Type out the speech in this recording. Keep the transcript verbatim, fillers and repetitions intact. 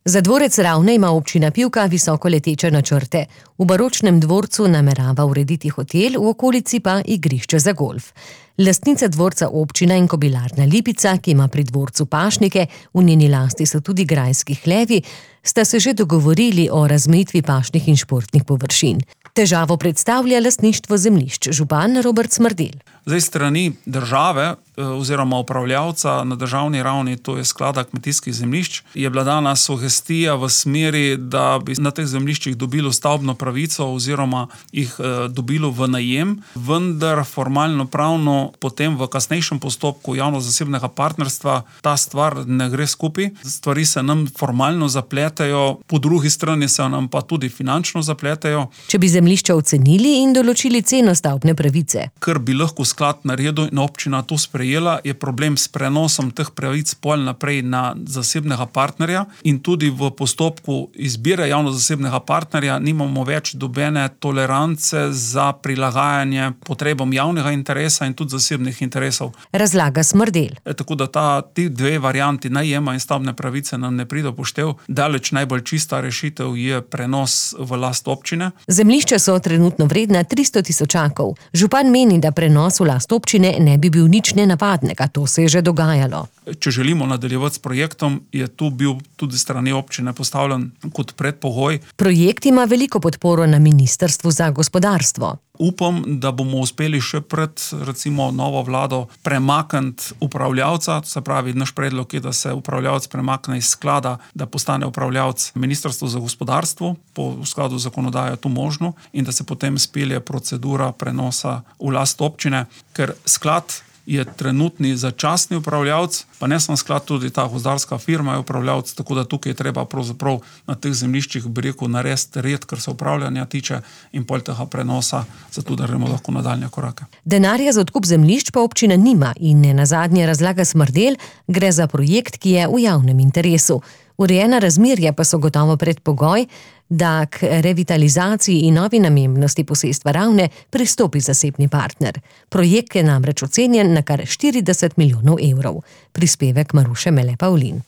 Za dvorec Ravne ima občina Pivka visokoleteče načrte. V baročnem dvorcu namerava urediti hotel, v okolici pa igrišče za golf. Lastnica dvorca občina in kobilarna Lipica, ki ima pri dvorcu pašnike, v njeni lasti so tudi grajski hlevi, sta se že dogovorili o razmejitvi pašnih in športnih površin. Težavo predstavlja lastništvo zemljišč, župan Robert Smrdelj. Zdaj strani države oziroma upravljavca na državni ravni, to je sklada kmetijskih zemljišč, je bila dana sugestija v smeri, da bi na teh zemljiščih dobilo stavbno pravico oziroma jih dobilo v najem, vendar formalno pravno potem v kasnejšem postopku javno-zasebnega partnerstva ta stvar ne gre skupaj. Stvari se nam formalno zapletejo, po drugi strani se nam pa tudi finančno zapletejo. Če bi zemljišča ocenili in določili ceno stavbne pravice. Ker bi lahko sklad naredil in občina to sprejela, je problem s prenosom teh pravic pol naprej na zasebnega partnerja in tudi v postopku izbire javno-zasebnega partnerja nimamo več dobene tolerance za prilagajanje potrebom javnega interesa in tudi zasebnih interesov. Razlaga Smrdelj. E, tako da ta, ti dve varianti najema in stavbne pravice nam ne pride v poštev. Daleč najbolj čista rešitev je prenos v last občine. Zemljišča so trenutno vredna tristo tisočakov. Župan meni, da prenos v last občine ne bi bil nič nenavadnega, to se je že dogajalo. Če želimo nadaljevati s projektom, je tu bil tudi strani občine postavljen kot predpogoj. Projekt ima veliko podporo na Ministrstvu za gospodarstvo. Upam, da bomo uspeli še pred, recimo, novo vlado premakniti upravljavca, se pravi, naš predlog je, da se upravljavc premakne iz sklada, da postane upravljavc Ministrstvo za gospodarstvo, po skladu zakonodaje to možno, in da se potem spelje procedura prenosa v last občine, ker sklad je trenutni začasni upravljavc, pa ne samo sklad, tudi ta gozdarska firma je upravljavc, tako da tukaj je treba pravzaprav na teh zemljiščih, bi rekel, narediti red, kar se upravljanja tiče in pol tega prenosa, zato da gremo lahko nadaljnje korake. Denarja za odkup zemljišč pa občina nima in ne nazadnje razlaga Smrdelj, gre za projekt, ki je v javnem interesu. Urejena razmerja pa so gotovo predpogoj, da k revitalizaciji in novi namembnosti posestva Ravne pristopi zasebni partner. Projekt je namreč ocenjen na kar štirideset milijonov evrov. Prispevek Maruše Mele Pavlin.